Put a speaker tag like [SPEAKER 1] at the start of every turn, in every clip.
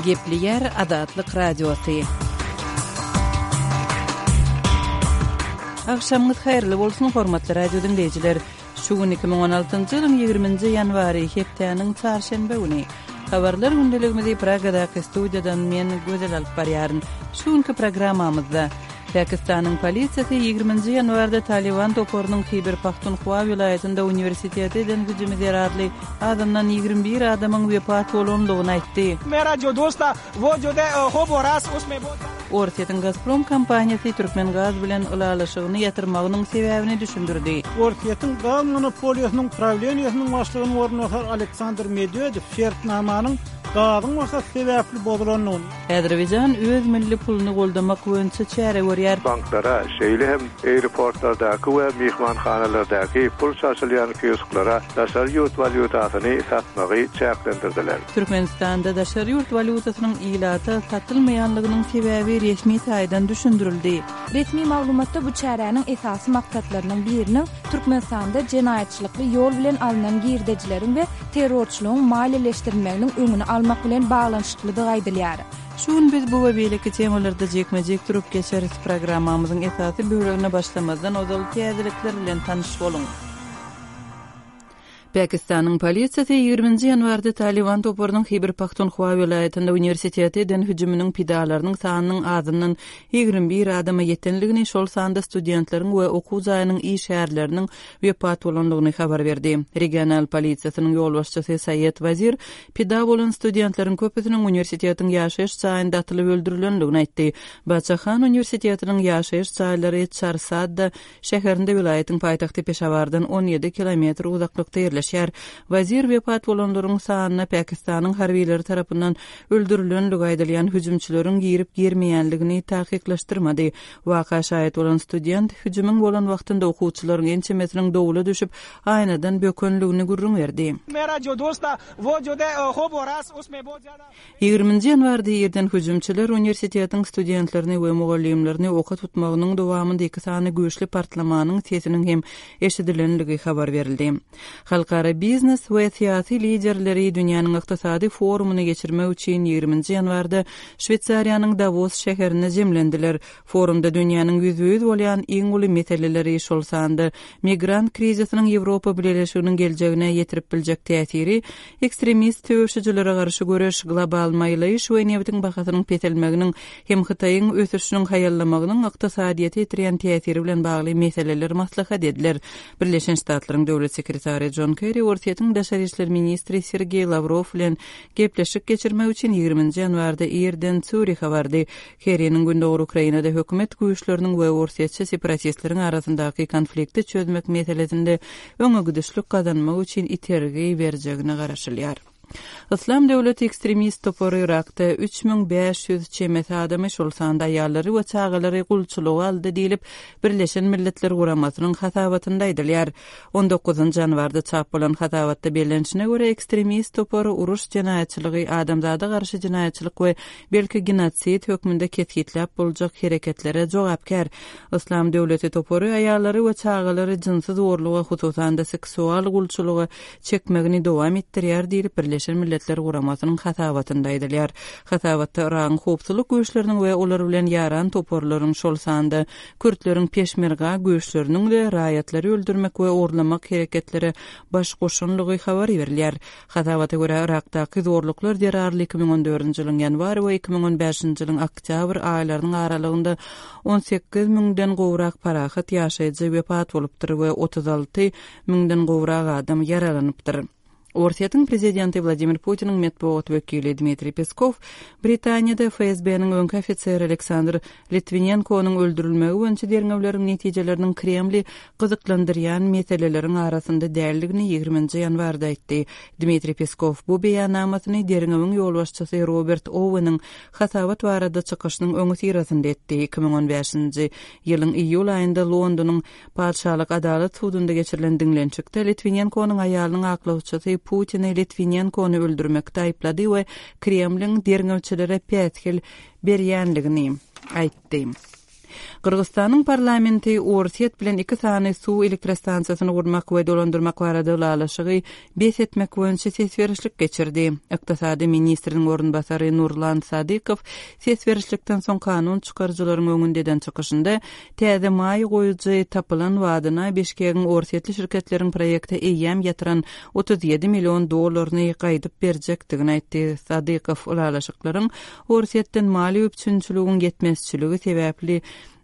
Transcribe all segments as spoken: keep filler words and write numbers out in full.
[SPEAKER 1] Gepleýär Azatlyk Radiosy. Agşamyňyz haýyrly bolsun, hormatly radio diňleýjiler! Şu gün iki müň on altynjy ýylyň ýigriminji ýanwary, hepdäniň çarşenbe güni. Habarlar gündeligimizi Pragadaky studiýadan men, Gözel alyp barýaryn. Şu günki programmamyzda, Pakistanyň polisiýasy ýigriminji ýanwarda Talyban toparynyň Hiber-Pahtunhwa welaýatynda uniwersitete eden hüjümi zerarly azyndan ýigrimi bir adamyň wepat bolandygyny aýtdy. Orsýetiň Gazprom kompaniýasy Türkmengaz bilen ylalaşygyny ýatyrmagynyň sebäbini düşündirdi.
[SPEAKER 2] Orsýetiň gaz monopoliýasynyň prawleniýesiniň başlygynyň orunbasary Aleksandr Medwedew şertnamanyň gazyň bahasy sebäpli bozulandygyny,
[SPEAKER 1] Azerbaýjan öz milli puluny goldamak boýunça çäre görýär.
[SPEAKER 3] Banklara, şeýle hem aeroportlardaky we myhmanhanalardaky pul çalşylýan kiosklara daşary ýurt walýutasyny satmagy çäklendirdiler.
[SPEAKER 1] Türkmenistanda daşary ýurt walýutasynyň ilata satylmaýanlygynyň sebäbi resmi taýdan düşündirildi.
[SPEAKER 4] Resmi maglumatda bu çäräniň esasy maksatlarynyň biriniň Türkmenistanda jenaýatçylykly ýol bilen alnan girdejileriň we terrorçylygyň maliýeleşdirilmeginiň öňüni almak bilen baglanyşyklydygy aýdylýar.
[SPEAKER 1] Şu gün biz bu we beýleki temalarda jikme-jik durup geçeris. Programmamyzyň esasy bölegine başlamazdan ozal täzelikler bilen tanyş boluň. Pakistanyň polisiýasy ýigriminji ýanwarda Talyban toparynyň Hiber-Pahtunhwa welaýatynda uniwersitete eden hüjüminiň pidalarynyň sanynyň azyndan ýigrimi bir adama ýetenligini, şol sanda studentleriň we okuw jaýynyň işgärleriniň wepat bolandygyny habar berdi. Regional polisiýasynyň ýolbaşçysy Saýed Wazir pida bolan studentleriň köpüsiniň uniwersitetiň ýaşaýyş jaýynda atylyp öldürilendigini aýtdy. Baçahan uniwersitetiniň ýaşaýyş jaýlary Çarsadda şäherinde welaýatyň paýtagty Peşawardan on ýedi kilometr uzaklykda ýerleşýär. Wazir wepat bolanlaryň sanyna Pakistanyň harbileri tarapyndan öldürilenligi aýdylýan hüjümçileriň girip girmeýänligini takyklaşdyrmady. Waka şaýat bolan student hüjümiň bolan wagtynda okuwçylaryň ençemesiniň dowula düşüp aýnadan bökenligini gürrüň berdi. Ýigriminji ýanwarda irden hüjümçiler uniwersitetiň studentlerini we mugallymlaryny oka tutmagynyň dowamynda iki sany güýçli partlamanyň sesiniň hem eşidilenligi habar berildi. Halkara biznes we syýasy liderleri dünýäniň ykdysady forumyny geçirmek üçin ýigriminji ýanwarda Şweýsariýanyň Davos şäherinde jemlendiler. Forumda dünýäniň ýüzbe-ýüz bolýan iň uly meseleleri, şol sanda migrant krizisiniň Ýewropa Bileleşiginiň geljegine ýetirip biljek täsiri, ekstremist söweşijilere garşy göreş, global maýlaýyş we nebitiň bahasynyň peselmeginiň hem Hytaýyň ösüşiniň haýallamagynyň ykdysadyýete ýetirýän täsiri bilen bagly meseleler maslahat ediler. Birleşen Ştatlaryň döwlet sekretary John Kerry Orsýetiň daşary işler ministri Sergeý Lawrow bilen gepleşik geçirmek üçin ýigriminji ýanwarda irden Sýurihe bardy. Kerriniň Gündogar Ukrainada hökümet güýçleriniň we orsýetçi separatistleriň arasyndaky konflikti çözmek meselesinde öňe gidişlik gazanmak üçin itergi berjegine garaşylýar. Yslam döwleti ekstremist topary Irakda üç müň bäş ýüz çemesi adamy, şol sanda aýallary we çagalary gulçulyga aldy diýlip, Birleşen Milletler Guramasynyň hasabatynda aýdylýar. On dokuzynjy ýanwarda çap bolan hasabatda bellenişine görä, ekstremist topary uruş jenaýatçylygy, adamzada garşy jenaýatçylyk we belki genosid hökmünde kesgitläp boljak hereketlere jogapkär. Yslam döwleti topary aýallary we çagalary jynsy zorluga, hususan-da seksual gulçulyga çekmegini dowam etdirýär diýlip, Birleşen Milletler Guramasynyň hasabatynda aýdylýar. Hasabatda Yragyň howpsuzlyk güýçleriniň we olar bilen ýaran toparlaryň, şol sanda kürtleriň peşmerga güýçleriniň-de raýatlary öldürmek we ogurlamak hereketlere baş goşanlygy habar berilýär. Hasabata görä, Yrakdaky zorluklar zerarly iki müň on dördünji ýylyň ýanwar we iki müň on bäşinji ýylyň oktýabr aýlarynyň aralygynda on sekiz müňden gowrak parahat ýaşaýjy wepat bolupdyr we otuz alty müňden gowrak adam ýaralanypdyr. Orsýetiň prezidenti Wladimir Putiniň metbugat wekili Dmitriý Peskow Britaniýada F S B-niň öňki ofiseri Aleksandr Litwinenkonyň öldürilmegi boýunça derňewleriň netijeleriniň Kremli gyzyklandyrýan meseleleriň arasynda däldigini ýigriminji ýanwarda aýtdy. Dmitriý Peskow bu beýannamasyny derňewiň ýolbaşçysy Robert Oweniň hasabat barada çykyşynyň öňüsyrasynda etdi. Iki müň on bäşinji ýylyň iýul aýynda Londonyň Patyşalyk Adalat sudunda geçirilen diňlenişikde Litwinenkonyň aýalynyň aklawçysy Putini Litwinenkony öldürmekde aýyplady we Kremliň derňewçilere päsgel berýänligini aýtdy. Gyrgyzystanyň parlamenti Orsýet bilen iki sany suw elektrostansiýasyny gurmak we dolandyrmak barada ylalaşygy bes etmek boýunça ses berişlik geçirdi. Ykdysady ministriniň orunbasary Nurlan Sadykow ses berişlikden soň kanun çykaryjylaryň öňünde eden çykyşynda täze maýa goýujy tapylan badyna Bişkegiň orsýetli şirketleriň proýekte eýýäm ýatyran otuz ýedi million dollaryny gaýdyp berjekdigini aýtdy. Sadykow ylalaşyklaryň Orsýetden maliýe üpjünçiligiň ýetmezçiligi sebäpli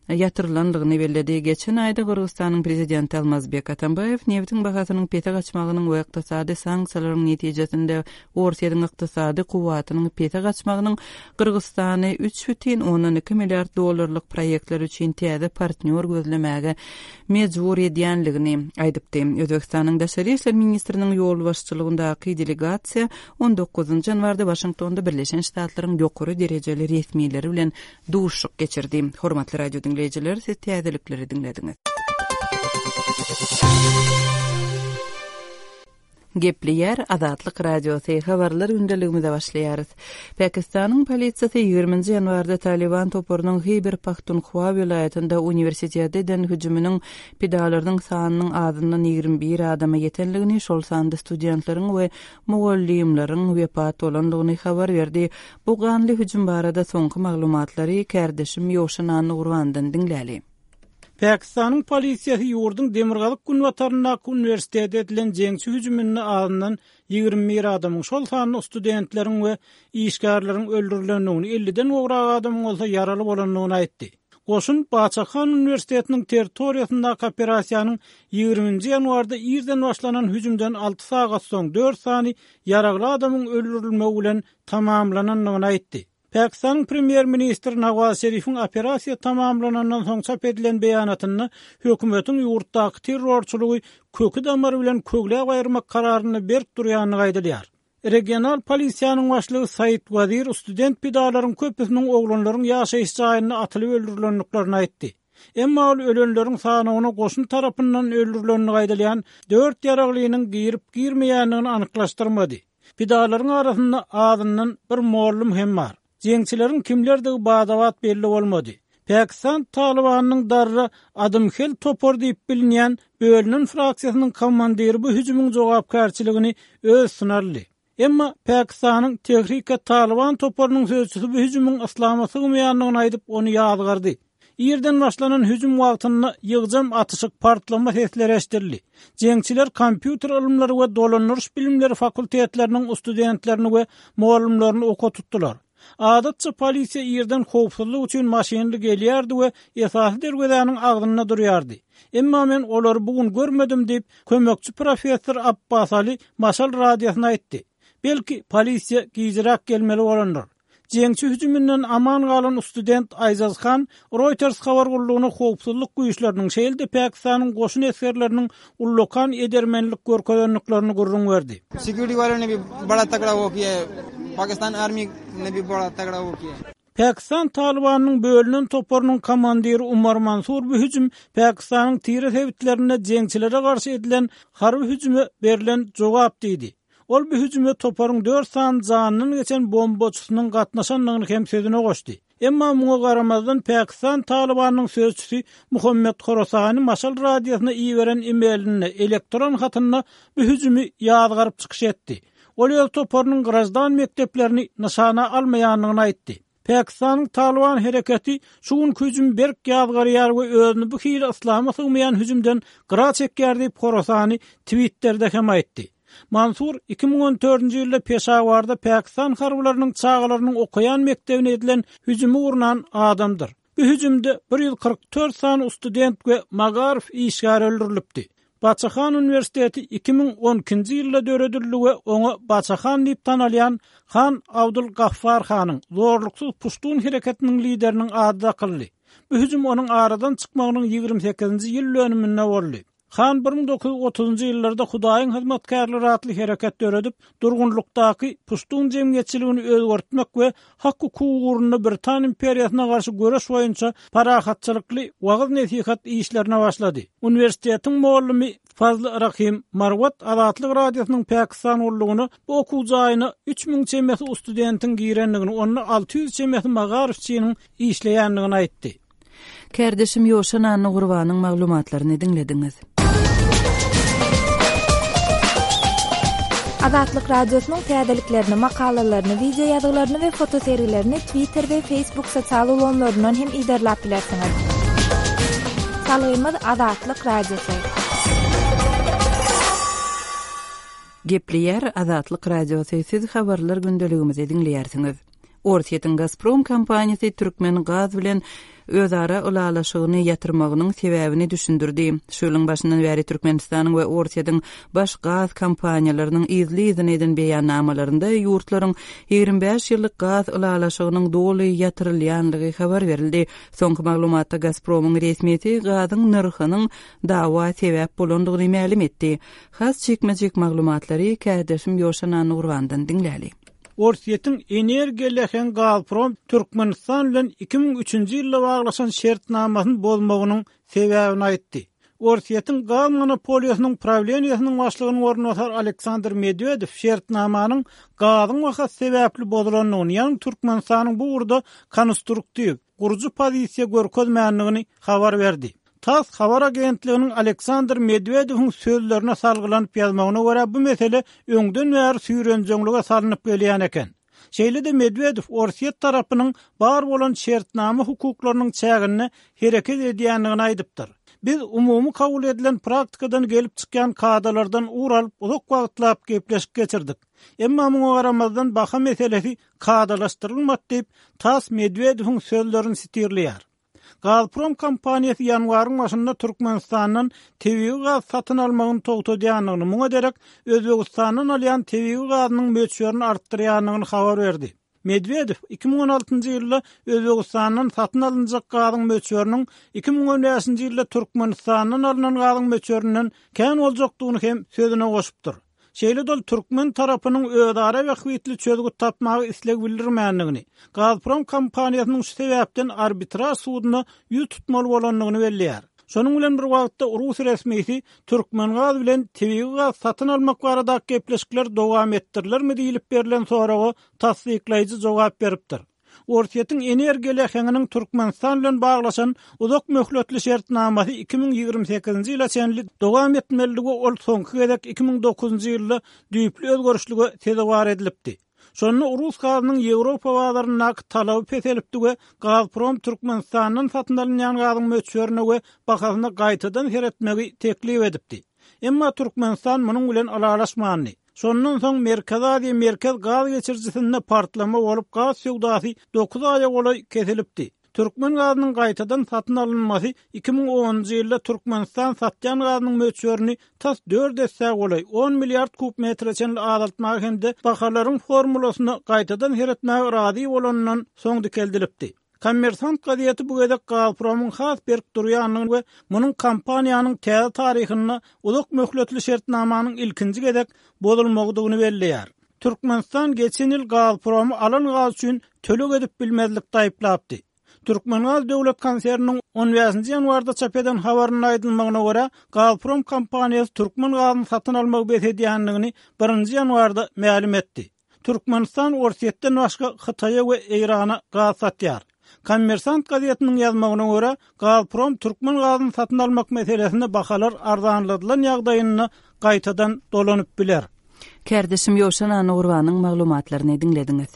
[SPEAKER 1] ýatyrylandygyny belledi. Geçen aýda Gyrgyzystanyň prezidenti Almazbek Atambaýew nebitiň bahasynyň pese gaçmagynyň we ykdysady sanksiýalaryň netijesinde Orsýetiň ykdysady kuwwatynyň pese gaçmagynyň Gyrgyzystany üç bütin ondan iki milliard dollarlyk proýektler üçin täze partnýor gözlemäge mejbur edýänligini aýdypdy. Özbegistanyň Daşary işler ministriniň ýolbaşçylygyndaky delegasiýa on dokuzynjy ýanwarda Waşingtonda Birleşen Ştatlaryň ýokary derejeli resmileri bilen duşuşyk geçirdi. Hormatly radio diňleýjiler, siz täzelikleri diňlediňiz. Gepleýär Azatlyk Radiosy, habarlar gündeligimize başlaýarys. Pakistanyň polisiýasy ýigriminji ýanwarda Taliban toparynyň Hyber Pahtunhwa welaýatynda uniwersitete eden hüjüminiň pidalarynyň sanynyň azyndan ýigrimi bir adama ýetenligini, şol sanda studentleriň we mugallymlaryň wepat bolandygyny habar berdi. Bu ganly hüjüm barada soňky maglumatlary kärdeşim Ýowşan Annagurbandan diňläli.
[SPEAKER 2] Pakistanyň polisiýasy ýurduň Demirgazyk günbataryndaky uniwersitete edilen jeňçi hüjüminde azyndan ýigrimi bir adamyň, şol sanda studentleriň we işgärleriň öldürilendigini, elliden gowrak adamyň bolsa ýaraly bolandygyny aýtdy. Goşun Baçahan uniwersitetiniň territoriýasyndaky operasiýanyň ýigriminji ýanwarda irden başlanan hüjümden alty sagat soň dört sany ýaragly adamyň öldürilmegi bilen tamamlanandygyny aýtdy. Pakistanyň premýer-ministri Nawaz Şerifiň operasiýa tamamlanandan soň çap edilen beýanatynda hökümetiň ýurtdaky terrorçylygy köki damary bilen kögläp aýyrmak kararyny berk durýandygy aýdylýar. Regional polisiýanyň başlygy Said Wazir student pidalaryň köpüsiniň oglanlaryň ýaşaýyş jaýynda atylyp öldürilendiklerini aýtdy. Emma ol ölenleriň sanyny goşun tarapyndan öldürilendigi aýdylýan dört ýaraglynyň girip girmeýändigini anyklaşdyrmady. Pidalaryň arasynda azyndan bir mollum hem bar. Jeňçileriň kimlerdigi badabat belli bolmady. Pakistan Talibanyň darra Adımhel topar diýip bilinýän bölünen fraksiýasynyň komandiri bu hüjümiň jogapkärçiligini öz üstüne aldy. Emma Pakistanyň Tehrike Taliban toparynyň sözçüsi bu hüjümiň yslama sygmaýandygyny aýdyp ony ýazgardy. Irden başlanan hüjüm wagtynda ýygjam atyşyk partlama sesleri eşidildi. Jeňçiler kompýuter ylymlary we dolandyryş bilimleri fakultetleriniň studentlerini we mugallymlaryny oka tutdular. Adatça polisiýa irden howpsuzlyk üçin maşynly gelýärdi we esasy derwezäniň agzynda durýardy. Emma men olary bu gün görmedim diýip, kömekçi professor Abbas Ali Maşal radiosyna aýtdy. Belki polisiýa gijräk gelmeli bolandyr. Jeňçi hüjüminden aman galan student Aýzaz Han Reuters habar gullugyna howpsuzlyk güýçleriniň şeýle-de Pakistanyň goşun esgerleriniň ullakan edermenlik görkezendiklerini gürrüň berdi.
[SPEAKER 5] Security वालों ने भी बड़ा तगड़ा वो किया है। Pakistan Army ने भी बड़ा तगड़ा वो किया है।
[SPEAKER 2] Pakistan Talibanyň bölünen toparynyň komandiri Umar Mansur bu hüjüm Pakistanyň tire sebitlerinde jeňçilere garşy edilen harby hüjüme berlen jogap diýdi. Ol bu hüjüme toparyň dört sany janynyň geçen bombaçysynyň gatnaşandygyny hem sözüne goşdy. Emma muňa garamazdan Pakistan Talibanyň sözçüsi Muhammed Khorasani Maşal radiosyna iberen e-mailinde elektron hatynda bu hüjümi ýazgaryp çykyş etdi. Ol öz toparynyň grajdan mekdeplerini nyşana almaýandygyny aýtdy. Pakistanyň Taliban hereketi şu gün hüjüm berk ýazgarýar we özüni bu hili yslama sygmaýan hüjümden gyra çekýär diýip Khorasani Twitter'de hem aýtdy. Mansur iki müň on dördünji ýylda Peşawarda Pakistan harbylarynyň çagalarynyň okaýan mekdebine edilen hüjümi gurnan adamdyr. Bu hüjümde bir ýüz kyrk dört sany student we magaryf işgäri öldürilipdi. Baçahan Üniversiteti iki müň on ikinji ýylda döredildi we oňa Baçahan diýip tanalýan Han Abdul Gaffar Hanyň zorluksyz Puştun hereketiniň lideriniň ady dakyldy. Bu hüjüm onuň aradan çykmagynyň ýigrimi sekizinji ýyl dönüminde boldy. Han bir müň dokuz ýüz otuzunjy ýyllarda Hudaýyň hyzmatkärleri atly hereket döredip, durgunlykdaky Puştun jemgyýetçiligini özgertmek we hak hukugy ugrunda Britan imperiýasyna garşy göreş boýunça parahatçylykly wagyz nesihat işlerine başlady. Uniwersitetiň muallymy Fazl Rahim Marwat Azatlyk Radiosynyň Pakistan gullugyna bu okuw jaýyna üç müň çemesi studentiň girendigini, onda alty ýüz çemesi magaryfçynyň işleýändigini aýtdy.
[SPEAKER 1] Kärdeşim Ýowşan Annagurbanyň maglumatlaryny diňlediňiz.
[SPEAKER 4] Azatlyk Radiosynyň täzeliklerini, makalalaryny, wideo ýazgylaryny we fotosergilerini Twitter we Facebook sosial ulgamlaryndan hem yzarlap bilersiňiz. Salgymyz Azatlyk Radiosy.
[SPEAKER 1] Gepleýär Azatlyk Radiosy, siz habarlar gündeligimizi diňleýärsiňiz. Orsýetiň Gazprom kompaniýasy Türkmen gaz bilen özara ylalaşygyny ýatyrmagynyň sebäbini düşündirdi. Şu ýylyň başyndan bäri Türkmenistanyň we Orsýetiň baş gaz kompaniýalarynyň yzly-yzyna eden beýannamalarynda ýurtlaryň ýigrimi bäş ýyllyk gaz ylalaşygynyň doly ýatyrylýanlygy habar berildi. Soňky maglumatda Gazpromyň resmisi gazyň nyrhynyň dawa sebäp bolandygyny mälim etdi. Has jikme-jik maglumatlary kärdeşim Ýowşan Annagurbandan diňläli.
[SPEAKER 2] Orsýetiň energiýa lehen Gazprom Türkmenistan bilen iki müň üçünji ýylda baglaşan şertnamasyny bozmagynyň sebäbini aýtdy. Orsýetiň gaz monopoliýasynyň prawleniýasynyň başlygynyň orunbasary Aleksandr Medwedew şertnamanyň gazyň bahasy sebäpli bozulandygyny, ýagny Türkmenistanyň bu ugurda konstruktiw, gurujy pozisiýa görkezmändigini habar berdi. TASS habar agentliginiň Aleksandr Medwedewiň sözlerine salgylanyp ýazmagyna görä bu mesele öňden bäri süýrenjeňlige salnyp gelýän eken. Şeýle-de Medwedew Orsýet tarapynyň bar bolan şertnama hukuklarynyň çäginde hereket edýändigini aýdypdyr. Biz umumy kabul edilen praktikadan gelip çykýan kadalardan ugur alyp uzak wagtlap gepleşik geçirdik. Emma muňa garamazdan baha meselesi kadalaşdyrylmady diýip TASS Medwedewiň sözlerini sitirleýär. Gazprom kompaniýasy ýanwaryň başynda Türkmenistandan tebigy gaz satyn almagyny togtadýandygyny, muňa derek Özbegistandan alýan tebigy gazynyň möçberini artdyrýandygyny habar berdi. Medwedew iki müň on altynjy ýylda Özbegistandan satyn alynjak gazyň möçberiniň iki müň on bäşinji ýylda Türkmenistandan alynan gazyň möçberinden kän boljakdygyny hem sözüne goşupdyr. Şeýle-de ol türkmen tarapynyň özara bähbitli çözgüt tapmagy isleg bildirmändigini, Gazprom kompaniýasynyň şu sebäpden arbitraj suduna ýüz tutmaly bolandygyny belleýär. Şonuň bilen bir wagtda Rus resmisi Türkmen gaz bilen tebigy gaz satyn almak baradaky gepleşikler dowam etdirilermi diýilip berlen soraga tassyklaýjy jogap beripdir. Orsýetiň energiýa leheňiniň Türkmenistan bilen baglaşan uzak möhletli şertnamasy iki müň ýigrimi sekizinji ýyla çenli dowam etmelidigi ol soňky gezek iki müň dokuzynjy ýylda düýpli özgerişlige sezewar edilipdi. Şonda Rus gazynyň Ýewropa bazaryndaky talaby peselipdi we Gazprom Türkmenistandan satyn alynýan gazyň möçberine we bahasyna gaýtadan seretmegi teklip edipdi. Emma Türkmenistan munuň bilen ylalaşmandy. Şondan soň Merkezi Aziýa Merkez gaz geçirijisinde partlama bolup gaz söwdasy dokuz aýa golaý kesilipdi. Türkmen gazynyň gaýtadan satyn alynmasy iki müň onunjy ýylda Türkmenistan satýan gazynyň möçberini tas dört esse golaý on milliard kub metre çenli azaltmagy hem-de bahalaryň formulasyna gaýtadan seretmäge razy bolanyndan soň dikeldilipdi. Kommersant gazeti bu gezek Gazpromyň has berk durýandygyny we munuň kompaniýanyň täze taryhynda uzak möhletli şertnamanyň ilkinji gezek bozulmagydygyny belleýär. Türkmenistan geçen ýyl Gazpromy alan gaz üçin töleg edip bilmezlik taýyplapdy. Türkmengaz döwlet konserniniň on bäşinji ýanwarda çap eden habarynda aýdylmagyna görä, Gazprom kompaniýasy türkmen gazyny satyn almagy bes edýändigini birinji ýanwarda mälim etdi. Türkmenistan Orsýetden başga Hytaýa we Eýrana gaz satýar. Kommersant gazetiniň ýazmagyna görä, Gazprom türkmen gazyny satyn almak meselesinde bahalar arzanladylan ýagdaýynda gaýtadan dolanyp biler.
[SPEAKER 1] Kärdeşim Ýowşan Annagurbanyň maglumatlaryny diňlediňiz.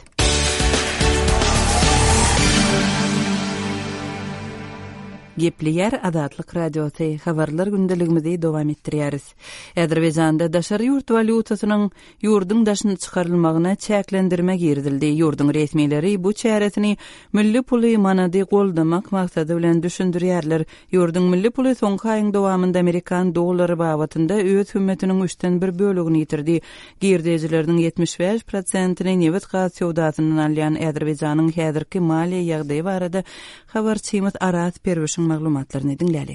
[SPEAKER 1] Gepleýär Azatlyk Radiosy, habarlar gündeligimizi dowam etdirýäris. Azerbaýjanda daşary ýurt walýutasynyň ýurduň daşyna çykarylmagyna çäklendirme girizildi. Ýurduň resmileri bu çäresini milli puly manady goldamak maksady bilen düşündirýärler. Ýurduň milli puly soňky aýyň dowamynda Amerikan dollary babatynda öz hümmetiniň üçden bir bölegini ýitirdi. Girdejileriniň ýetmiş bäş prosentini nebit gaz söwdasyndan alýan Azerbaýjanyň häzirki maliýe ýagdaýy barada habarçymyz Araz Perwişiň maglumatlaryny diňläli.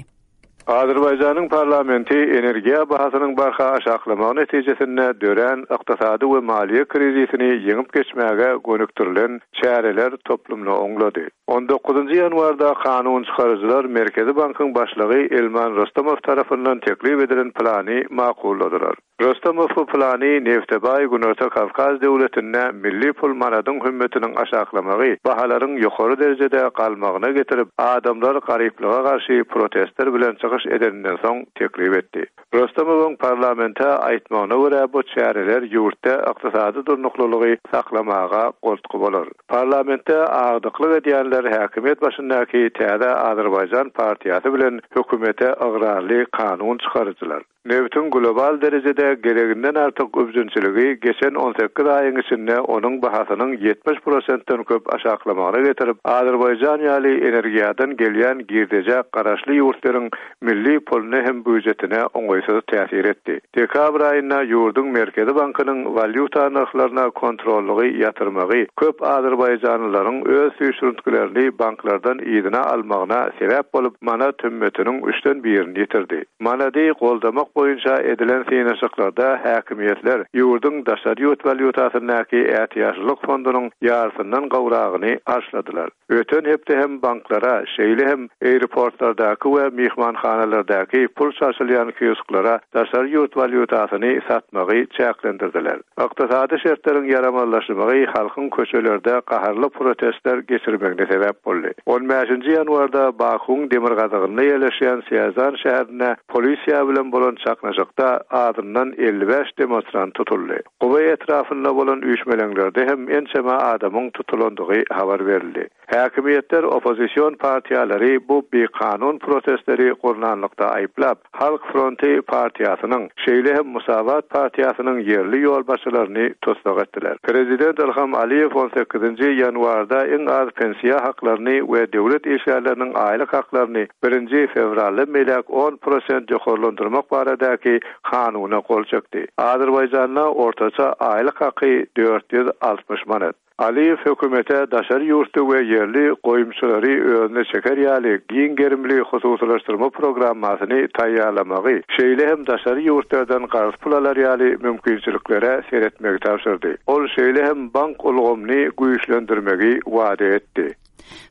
[SPEAKER 3] Azerbaýjanyň parlamenti energiýa bahasynyň barha aşaklamagy netijesinde dörän ykdysady we maliýe krizisini ýeňip geçmäge gönükdirilen çäreler toplumyny oňlady. On dokuzynjy ýanwarda kanun çykaryjylar Merkezi bankyň başlygy Elman Rustamow tarapyndan teklip edilen plany makulladylar. Rustamow bu plany nefte baý Günorta Kawkaz döwletinde milli pul manadyň hümmetiniň aşaklamagy, bahalaryň ýokary derejede galmagyna getirip, adamlar garyplyga garşy protestler bilen çykyş edeninden soň teklip etdi. Rustamowyň parlamente aýtmagyna görä bu çäreler ýurtda ykdysady durnuklylygy saklamaga goltgy bolar. Parlamentde agdyklyk edýänler häkimiýet başyndaky Täze Azerbaýjan partiýasy bilen hökümete ygrarly kanun çykaryjylar. Nebitiň global derejede gereginden artyk üpjünçiligi geçen on sekiz aýyň içinde onuň bahasynyň ýetmiş prosentden köp aşaklamagyna getirip, Azerbaýjan ýaly energiýadan gelýän girdejä garaşly ýurtlaryň milli puluna hem býujetine oňaýsyz täsir etdi. Dekabr aýynda ýurduň Merkezi bankynyň walýuta nyrhlaryna kontrollygy ýatyrmagy köp azerbaýjanlylaryň öz süýşürintgilerini banklardan yzyna almagyna sebäp bolup, manat hümmetiniň üçden birini ýitirdi. Manady goldamak boýunça edilen synaşyklarda häkimiýetler ýurduň daşary ýurt walýutasyndaky ätiýaçlyk fondunyň ýarysyndan gowragyny harçladylar. Öten hepde hem banklara, şeýle hem aeroportlardaky we myhmanhanalardaky pul çalşylýan kiosklara daşary ýurt walýutasyny satmagy çäklendirdiler. Ykdysady şertleriň ýaramazlaşmagy halkyň köçelerde gaharly protestler geçirmegine sebäp boldy. On bäşinji ýanwarda Bakuň demirgazygynda ýerleşýän Sýazan şäherinde polisiýa bilen bolan çaknyşykda azyndan elli bäş demonstrant tutuldy. Guba etrafynda bolan üýşmeleňlerde hem ençeme adamyň tutulandygy habar berildi. Häkimiýetler oppozision partiýalary bu bikanun protestleri gurnanlykda aýyplap, Halk Fronty partiýasynyň, şeýle hem Musavat partiýasynyň ýerli ýolbaşçylaryny tussag etdiler. Prezident Ilham Aliýew on sekizinji ýanwarda iň az pensiýa haklaryny we döwlet işgärleriniň aýlyk haklaryny birinji fewralda meýläk on prosent ýokarlandyrmak baradaky kanuna gol çekdi. Azerbaýjanda ortaça aýlyk haky dört ýüz altmyş manat. Aliýew hökümete daşary ýurtda we ýerli goýumçylary özüne çeker ýaly giň gerimli hususylaşdyrma programmasyny taýýarlamagy, şeýle hem daşary ýurtlardan karz pul alar ýaly mümkinçiliklere seretmegi tabşyrdy. Ol şeýle hem bank ulgamyny güýçlendirmegi wada etdi.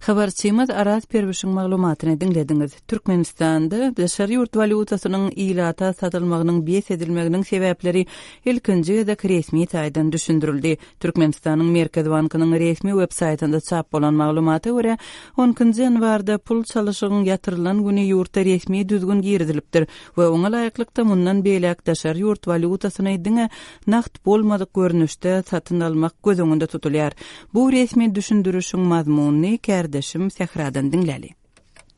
[SPEAKER 1] Habarçymyz Araz Perwişiň maglumatyny diňlediňiz. Türkmenistanda daşary ýurt walýutasynyň ilata satylmagynyň bes edilmeginiň sebäpleri ilkinji gezek resmi taýdan düşündirildi. Türkmenistanyň Merkezi Bankynyň resmi web saýtynda çap bolan maglumata görä, on ikinji ýanwarda pul çalyşygyň ýatyrylan güni ýurtda resmi düzgün girizilipdir we oňa laýyklykda mundan beýläk daşary ýurt walýutasyny diňe nagt bolmadyk görnüşde satyn almak göz öňünde tutulýar. Bu resmi düşündirişiň mazmunyny kärdeşim Sähradan diňläli.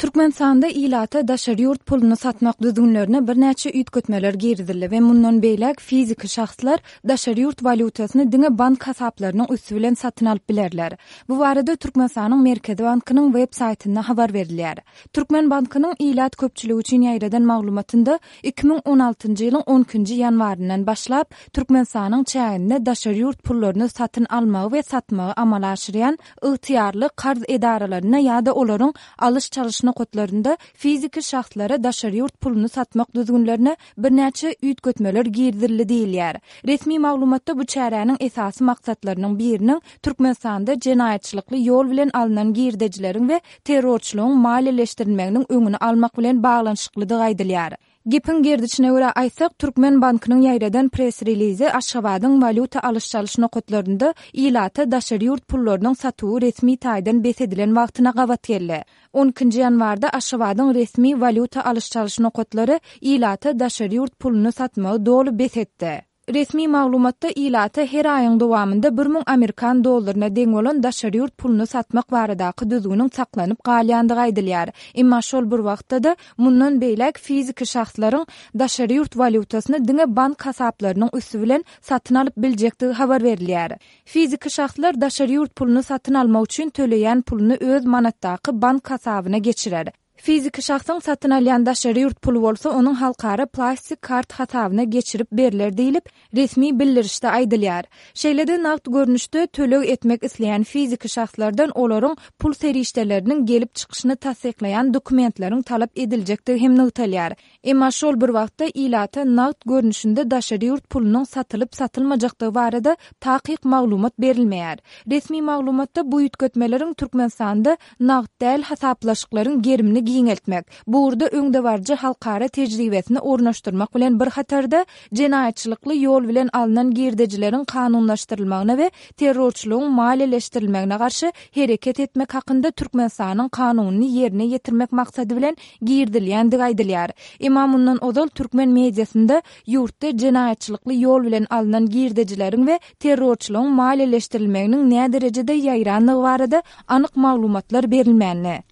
[SPEAKER 4] Türkmenistanda ilata daşary ýurt puluny satmak düzgünlerine birnäçe üýtgetmeler girizildi we mundan beýläk fiziki şahslar daşary ýurt walýutasyny diňe bank hasaplarynyň üsti bilen satyn alyp bilerler. Bu barada Türkmenistanyň Merkezi Bankynyň web saýtynda habar berilýär. Türkmen Bankynyň ilat köpçüligi üçin ýaýradan maglumatynda iki müň on altynjy ýylyň on ikinji ýanwaryndan başlap Türkmenistanyň çäginde daşary ýurt pullaryny satyn almagy we satmagy amala aşyrýan ygtyýarly karz edaralarynda ýa-da olaryň alyş-çalyş nokatlarynda fiziki şahslara daşary ýurt puluny satmak düzgünlerine birnäçe üýtgetmeler girizildi diýilýär. Resmi maglumatda bu çäräniň esasy maksatlarynyň biriniň Türkmenistanda jenaýatçylykly ýol bilen alnan girdejileriň we terrorçylygyň maliýeleşdirilmeginiň öňüni almak bilen baglanyşyklydygy aýdylýar. Gepiň gerdişine görä aýtsak, Türkmen Bankynyň ýaýradan press-relizi Aşgabadyň walýuta alyş-çalyş nokatlarynda ilata daşary ýurt pullarynyň satuwy resmi taýdan bes edilen wagtyna gabat geldi. On ikinji ýanwarda Aşgabadyň resmi walýuta alyş-çalyş nokatlary ilata daşary ýurt puluny satmagy doly bes etdi. Resmi maglumatda ilata her aýyň dowamynda bir müň amerikan dollaryna deň bolan daşary ýurt puluny satmak baradaky düzgüniň saklanyp galýandygy aýdylýar. Emma şol bir wagtda-da mundan beýläk fiziki şahslaryň daşary ýurt walýutasyny diňe bank hasaplarynyň üsti bilen satyn alyp biljekdigi habar berilýär. Fiziki şahslar daşary ýurt puluny satyn almak üçin töleýän puluny öz manatdaky bank hasabyna geçirer. Fiziki şahsyň satyn alýan daşary ýurt puly bolsa onuň halkara plastik kart hasabyna geçirip berler diýilip, resmi bildirişde aýdylýar. Şeýle-de nagt görnüşde töleg etmek isleýän fiziki şahslardan olaryň pul serişdeleriniň gelip çykyşyny tassyklaýan dokumentleriň talap ediljekdigi hem nygtalýar. Emma şol bir wagtda ilata nagt görnüşinde daşary ýurt pulunyň satylyp satylmajakdygy barada takyk maglumat berilmeýär. Resmi maglumatda bu üýtgetmeleriň Türkmenistanda nagt däl hasaplaşyklaryň gerimini giňeltmek, bu ugurda öňdebaryjy halkara tejribesini ornaşdyrmak bilen bir hatarda jenaýatçylykly ýol bilen alnan girdejileriň kanunlaşdyrylmagyna we terrorçylygyň maliýeleşdirilmegine garşy hereket etmek hakynda Türkmenistanyň kanunyny ýerine ýetirmek maksady bilen girizilýändigi aýdylýar. Emma mundan ozal türkmen mediasynda ýurtda jenaýatçylykly ýol bilen alnan girdejileriň we terrorçylygyň maliýeleşdirilmeginiň näderejede ýaýrandygy barada anyk maglumatlar berilmändi.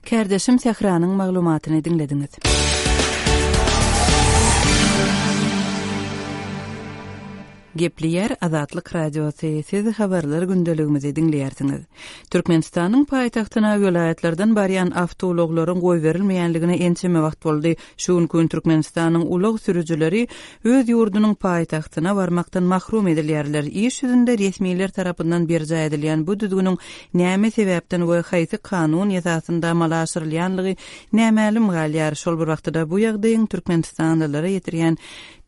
[SPEAKER 1] Kärdeşim Sähranyň maglumatyny diňlediňiz. Gepleýär Azatlyk Radiosy, siz habarlar gündeligimizi diňleýärsiňiz. Türkmenistanyň paýtagtyna welaýatlardan barýan awtoulaglaryň goýberilmeýänligine ençeme wagt boldy. Şu günki gün Türkmenistanyň ulag sürüjileri öz ýurdunyň paýtagtyna barmakdan mahrum edilýärler. Iş ýüzünde resmiler tarapyndan berjaý edilýän bu düzgüniň näme sebäpden we haýsy kanun esasynda amala aşyrylýanlygy nämälim galýar. Şol bir wagtda bu ýagdaýyň türkmenistanlylara ýetirýän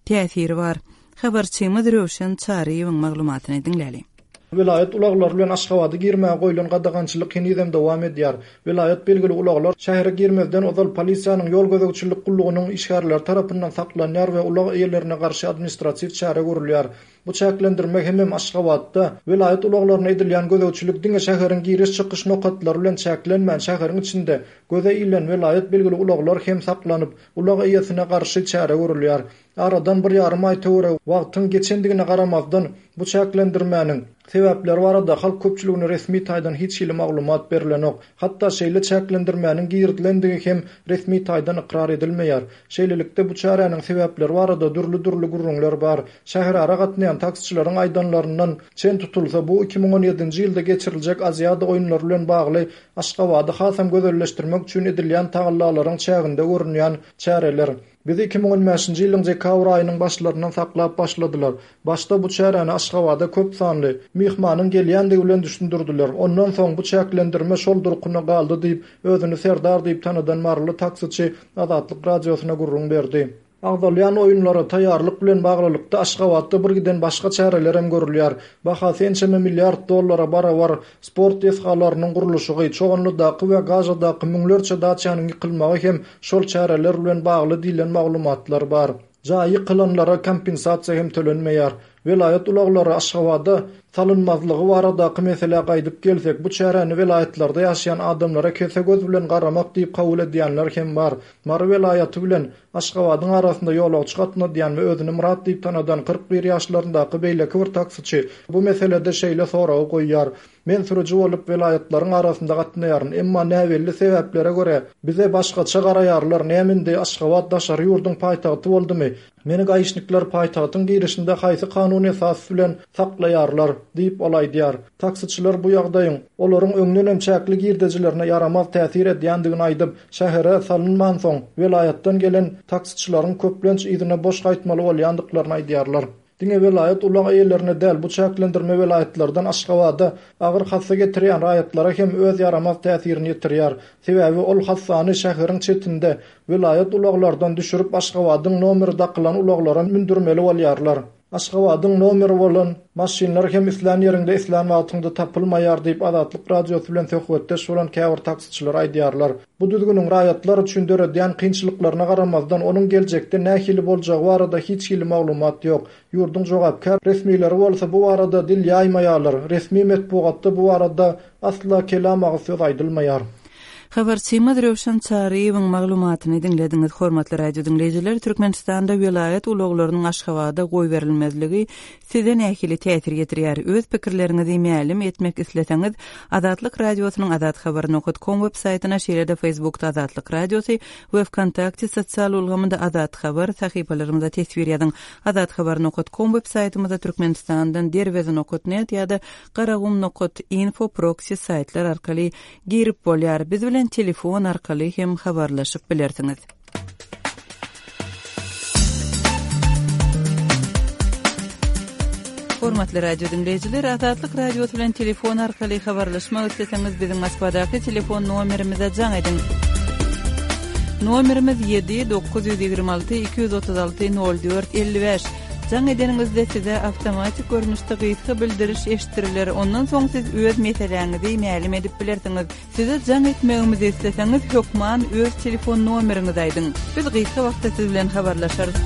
[SPEAKER 1] täsiri bar. Habarçymyz Röwşen Çaryýewiň maglumatyny diňläli.
[SPEAKER 6] Welaýat ulaglary bilen Aşgabada girmäge goýlan gadagançylyk henizem dowam edýär. Welaýat belgili ulaglar şähere girmezden ozal polisiýanyň ýol gözegçilik gullugynyň işgärleri tarapyndan saklanýar we ulag eýelerine garşy administratiw çäre görülýär. Bu çäklendirme hemem Aşgabatda welaýat ulaglaryna edilýän gözegçilik diňe şäheriň giriş-çykyş nokatlary bilen çäklenmän, şäheriň içinde göze ilen welaýat belgili ulaglar hem saklanyp, ulag eýesine garşy çäre görülýär. Aradan bir ýarym aý töweregi wagtyň geçendigine garamazdan bu çäklendirmäniň sebäpleri barada halk köpçüligine resmi taýdan hiç hili maglumat berilenok. Hatda şeýle çäklendirmäniň girizilendigi hem resmi taýdan ykrar edilmeýär. Şeýlelikde bu çäräniň sebäpleri barada dürli-dürli gürrüňler bar. Şäherara gatnaýan taksiçileriň aýdanlaryndan çen tutulsa bu iki müň on ýedinji ýylda geçiriljek Aziýada oýunlary bilen bagly Aşgabady hasam gözelleşdirmek üçin edilýän tagallalaryň çäginde görünýän çäreler. Bizi iki müň on bäşinji ýylyň dekabr aýynyň başlaryndan saklap başladylar. Başda bu çäräni Aşgabada köp sanly myhmanyň gelýändigi bilen düşündirdiler. Ondan soň bu çäklendirme şol durkuna galdy diýip, özüni Serdar diýip tanadan maryly taksiçi Azatlyk radiosyna gürrüň berdi. Agzalýan oýunlara taýýarlyk bilen baglylykda Aşgabatda bir giden başga çäreler hem görülýär. Bahasy ençeme milliard dollara barabar sport desgalarynyň gurluşygy, Çoganlydaky we Gazadaky müňlerçe daçanyň ýykylmagy hem şol çäreler bilen bagly diýlen maglumatlar bar. Jaýy ýykylanlara kompensasiýa hem tölenmeýär. Welaýat ulaglary Aşgabada salynmazlygy baradaky meselä gaýdyp gelsek, bu çäräni welaýatlarda ýaşaýan adamlara kese göz bilen garamak diýip kabul edýänler hem bar. Mary welaýaty bilen Aşgabadyň arasynda ýolagçy gatnadýan we özüni Myrat diýip tanadan kyrk bir ýaşlaryndaky beýleki bir taksiçi bu meselede şeýle soragy goýýar. Men sürüji bolup welaýatlaryň arasynda gatnaýaryn, emma näbelli sebäplere görä bize başgaça garaýarlar. Nämindi Aşgabat daşary ýurduň paýtagty boldumy? Meni gaýyşnyklar paýtagtyň girişinde haýsy kanun esasy bilen saklaýarlar diýip ol aýdýar. Taksiçiler bu ýagdaýyň olaryň öňdenem çäkli girdejilerine ýaramaz täsir edýändigini aýdyp, şähere salynmansoň welaýatdan gelen taksiçileriň köplenç yzyna boş gaýtmaly bolýandyklaryny aýdýarlar. Diňe welaýat ulag eýelerine däl, bu çäklendirme welaýatlardan Aşgabada agyr hassa getirýän raýatlara hem öz ýaramaz täsirini ýetirýär. Sebäbi ol hassany şäheriň çetinde welaýat ulaglardan düşürip Aşgabadyň nomeri dakylan ulaglara mündürmeli bolýarlar. Aşgabadyň nomeri bolan maşynlar hem islän ýerinde islän wagtynda tapylmaýar diýip Azatlyk radiosy bilen söhbetdeş bolan käbir taksiçiler aýdýarlar. Bu düzgüniň raýatlar üçin döredýän kynçylyklaryna garamazdan onuň geljekde nähili boljagy barada hiç hili maglumat ýok. Ýurduň jogapkär resmileri bolsa bu barada dil ýaýmaýarlar. Resmi metbugatda bu barada asla kelam agyz söz aýdylmaýar.
[SPEAKER 1] Habarçymyz Röwşen Çaryýewiň maglumatyny diňlediňiz. Hormatly radio diňleýjiler, Türkmenistanda welaýat ulaglarynyň Aşgabada goýberilmezligi size nähili täsir ýetirýär? Öz pikirleriňizi mälim etmek isleseňiz, Azatlyk radiosynyň azathabar nokta com web saýtyna, şeýle-de Facebookda Azatlyk radiosy we Vkontakte sosial ulgamynda Azat Habar sahypalarymyza teswir ýazyň. Azathabar nokta com web saýtymyzda Türkmenistandan derweze nokta net ýa-da garagum nokta info proxy saýtlar arkaly girip bolýar. Biz bilen telefon arkaly hem habarlaşyp bilersiňiz. Hormatly radio dinleýjiler, Azatlyk radiosy bilen telefon arkaly habarlaşmak isleseňiz, biziň Moskwadaky telefon nomerimize jaň ediň. Nomerimiz ýedi dokuz ýüz ýigrimi alty iki ýüz otuz alty nol dört elli bäş. Jaň edeniňizde size awtomatik görnüşde gysga bildiriş eşitdiriler. Ondan soň siz öz meseläňizi mälim edip bilersiňiz. Size jaň etmegimizi isleseňiz, hökman öz telefon nomeriňizi aýdyň. Biz gysga wagtda siz bilen habarlaşarys.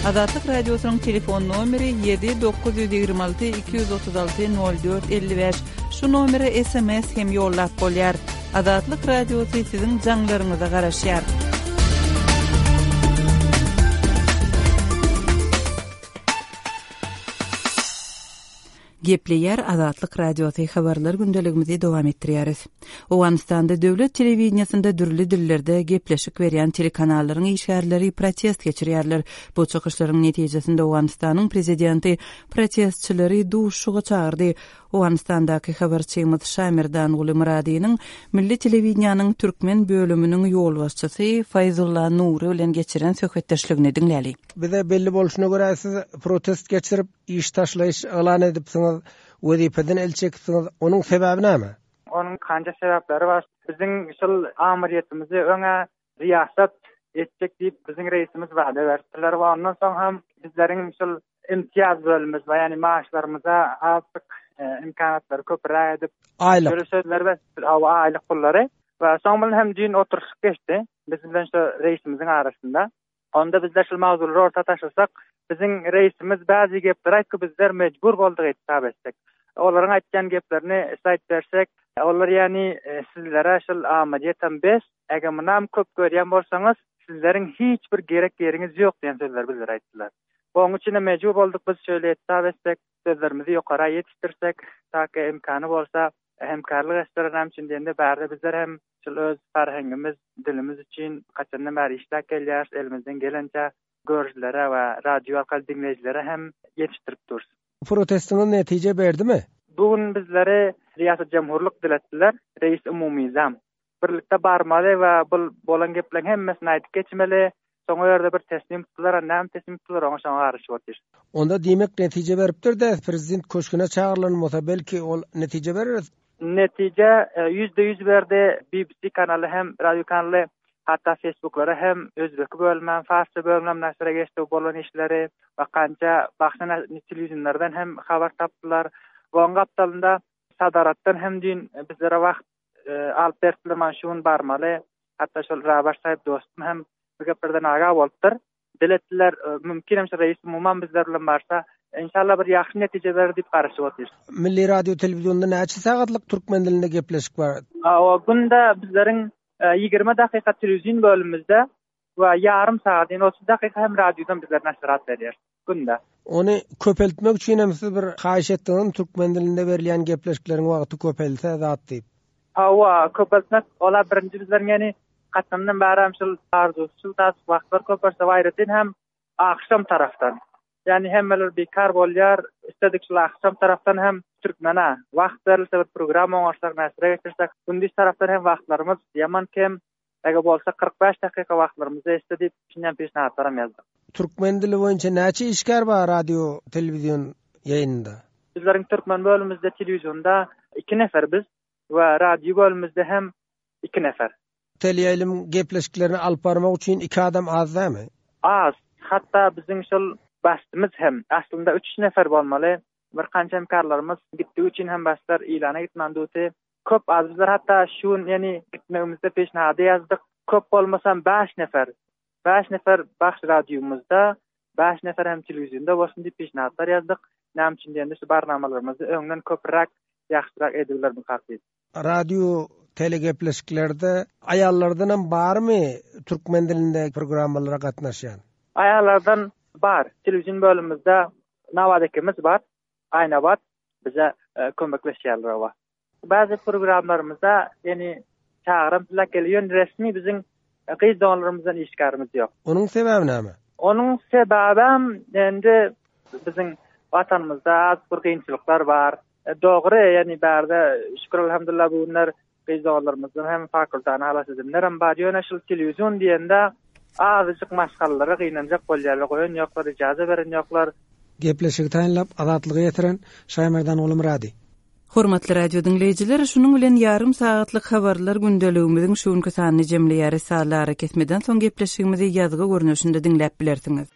[SPEAKER 1] Azatlyk Radiosynyň telefon nomeri ýedi dokuz ýüz ýigrimi alty iki ýüz otuz alty nol dört elli bäş. Şu nomere S M S hem ýollap bolýar. Azatlyk Radiosy siziň jaňlaryňyza garaşýar. Gepleýär Azatlyk Radiosy, habarlar gündeligimizi dowam etdirýäris. Owganystanda döwlet telewideniýesinde dürli dillerde gepleşik berýän telekanallaryň işgärleri protest geçirýärler. Bu çykyşlaryň netijesinde Owganystanyň prezidenti protestçileri duşuşyga çagyrdy. Owganystandaky habarçymyz Şamirdan Guly Myradynyň Milli telewideniýanyň türkmen bölüminiň ýolbaşçysy Faýzulla Nury bilen geçiren söhbetdeşligini diňläli.
[SPEAKER 7] Bize belli bolşuna görä siz protest geçirip iş taşlaýyş yglan edipsiňiz, wezipeden el çekipsiňiz. Onuň sebäbi näme?
[SPEAKER 8] Onuň kanca sebäpleri bar. Biziň şol amyryýetimizi öňe riýasat etjek diýip biziň reisimiz wada berdiler we ondan soň hem bizleriň şol imtiýaz bölümimiz bar, ýagny maaşlarymyza azlyk, e, imkanatlary köpräk edip
[SPEAKER 7] Aýlyk.
[SPEAKER 8] Şöyle sözler we hawa aýlyk pullary we soň bilen hem düýn oturyşyk geçdi. Biz bilen şu reisimiziň arasynda. Onda bizler şol mawzulary orta taşlasak, biziň reisimiz bäzi gepler aýtdy, bizler mejbur bolduk etap etsek. Olaryň aýtýan geplerini saýt bersek, olar ýagny, e, sizlere şol amadiýetem bes, eger munam köp görýän bolsaňyz, sizleriň hiç bir gerek ýeriňiz ýok diýen sözleri bizlere aýtdylar. Onuň üçin mejbur bolduk biz şöyle etap etsek, sözlerimizi ýokara ýetişdirsek, ta ki imkany bolsa hemkarlyk etdiler näme üçin diýende bärde bizler hem şol öz farhengimiz, dilimiz üçin haçandan bäri işläp gelýäris, elimizden gelençe görüjilere we radio arkaly diňleýjilere hem ýetişdirip duruz.
[SPEAKER 7] Protestiňiz netije berdimi?
[SPEAKER 8] Bu gün bizleri Riýasat Jemhurlyk diletdiler, reis umumyzam. Birlikde barmaly we bu bolan gepleriň hemmesini aýdyp geçmeli. Soň o ýerde bir teslim tutdular, näme teslim tutdular, oňa şoňa garaşyp otyr.
[SPEAKER 7] Onda diýmek netije beripdir de, prezident köşgüne çagyrylan bolsa belki ol netije berer.
[SPEAKER 8] Netije, e, ýüzde ýüz berdi. B B C kanaly hem, radio kanaly, hatda Facebooklara hem özbeki bölümem, farsça bölümem naşyra geçdi bolan işleri we kança başga telewizionlardan hem habar tapdylar. Oň gapdalynda Sadaratdan hem düýn bizlere wagt, e, alyp berdiler, man şu gün barmaly. Hatda şol Rabar sahip dostum hem bu geplerden aga bolupdyr. Diletdiler, e, mümkin hem şu reis umuman bizler bilen barsa, inşallah bir ýagşy netije berer diýip garaşyp otyrys.
[SPEAKER 7] Milli radio telewizionda näçe sagatlyk türkmen dilinde gepleşik bar?
[SPEAKER 8] A, o günde bizleriň, e, ýigrimi dakyka telewizion bölümimizde we ýarym sagat, ýagny otuz dakyka hem radiodan bizler naşyrat berýär günde.
[SPEAKER 7] Ony köpeltmek üçin hem siz bir haýyş etdiňiz, türkmen dilinde berilýän gepleşikleriň wagty köpelse zat diýip.
[SPEAKER 8] Hawa, köpeltmek ola birinji bizleriň ýagny haçandan bäri hem şol arzuw, şol tas wagtlar köpelse aýratyn hem akşam tarafdan. Ýagny hemmeler bekar bolýar, istedik şol akşam tarafdan hem türkmene wagt berilse bir program oňarsak, näsire geçirsek, gündiz tarafdan hem wagtlarymyz ýaman kem, eger bolsa kyrk bäş dakyka wagtlarymyzy istedi, şinden peşnahatlaram ýazdyk.
[SPEAKER 7] Türkmen dili boýunça näçe işgär bar radio, telewizion ýaýynynda?
[SPEAKER 8] Bizleriň türkmen bölümimizde telewizionda iki nefer biz we radio bölümimizde hem iki nefer.
[SPEAKER 7] Teleýaýlym gepleşiklerini alyp barmak üçin iki adam az dämi?
[SPEAKER 8] Az. Hatda biziň şol başymyz hem aslynda üç nefer bolmaly. Bir kança hemkarlarymyz gitdigi üçin hem başlar ilana gitmän duty. Köp az bizler hatda şu gün ýagny gitmegimizde peşnahada ýazdyk. Köp bolmasam bäş nefer. Bäş nefer baş radiomyzda, bäş nefer hem telewizionda bolsun diýip peşnahatlar ýazdyk. Näme üçin diýende şu barnamalarymyzy öňden köpräk, ýagşyrak edibiler bu hakyt.
[SPEAKER 7] Radio telegepleşiklerde aýallardan hem barmy türkmen dilinde programmalara gatnaşýan?
[SPEAKER 8] Aýallardan bar. Telewizion bölümimizde Nawad ekimiz bar. Aynabat bize, e, kömekleşýärler owa. Bazı programlarymyzda ýagny çagyram plak geliyor. Resmi biziň gyz doganlarymyzdan işgärimiz ýok.
[SPEAKER 7] Onuň sebäbi näme?
[SPEAKER 8] Onuň sebäbi endi biziň watanymyzda az bir kynçylyklar bar. E, dogry, ýagny bärde şükür elhamdülillah bu günler gyz doganlarymyzdan hem fakultany halas edinler hem bar. Ýöne şol telewizion diýende azajyk maşgalalara gynanjak bolýarlar, goýun ýoklar, ijaza beren ýoklar.
[SPEAKER 7] Gepleşigi taýynlap Azatlyga ýetiren Şaýmerdan Gulumyrady.
[SPEAKER 1] Hormatly radio diňleýjiler, şunuň bilen ýarym sagatlyk habarlar gündeligimiziň şu günki sanyny jemleýäris. Sazly ara kesmeden soň gepleşigimizi ýazgy görnüşinde diňläp bilersiňiz.